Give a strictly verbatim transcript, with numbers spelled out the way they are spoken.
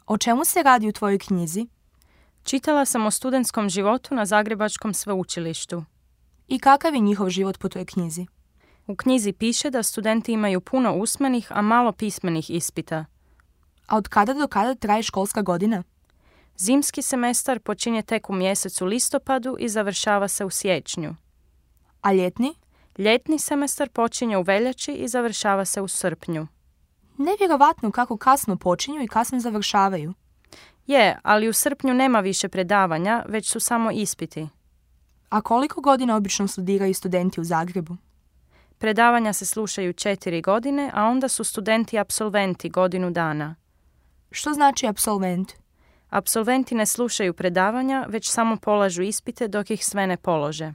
O čemu se radi u tvojoj knjizi? Čitala sam o studentskom životu na Zagrebačkom sveučilištu. I kakav je njihov život po toj knjizi? U knjizi piše da studenti imaju puno usmenih, a malo pismenih ispita. A od kada do kada traje školska godina? Zimski semestar počinje tek u mjesecu listopadu i završava se u siječnju. A ljetni? Ljetni semestar počinje u veljači i završava se u srpnju. Nevjerovatno kako kasno počinju i kasno završavaju. Je, ali u srpnju nema više predavanja, već su samo ispiti. A koliko godina obično studiraju studenti u Zagrebu? Predavanja se slušaju četiri godine, a onda su studenti apsolventi godinu dana. Što znači apsolvent? Apsolventi ne slušaju predavanja, već samo polažu ispite dok ih sve ne polože.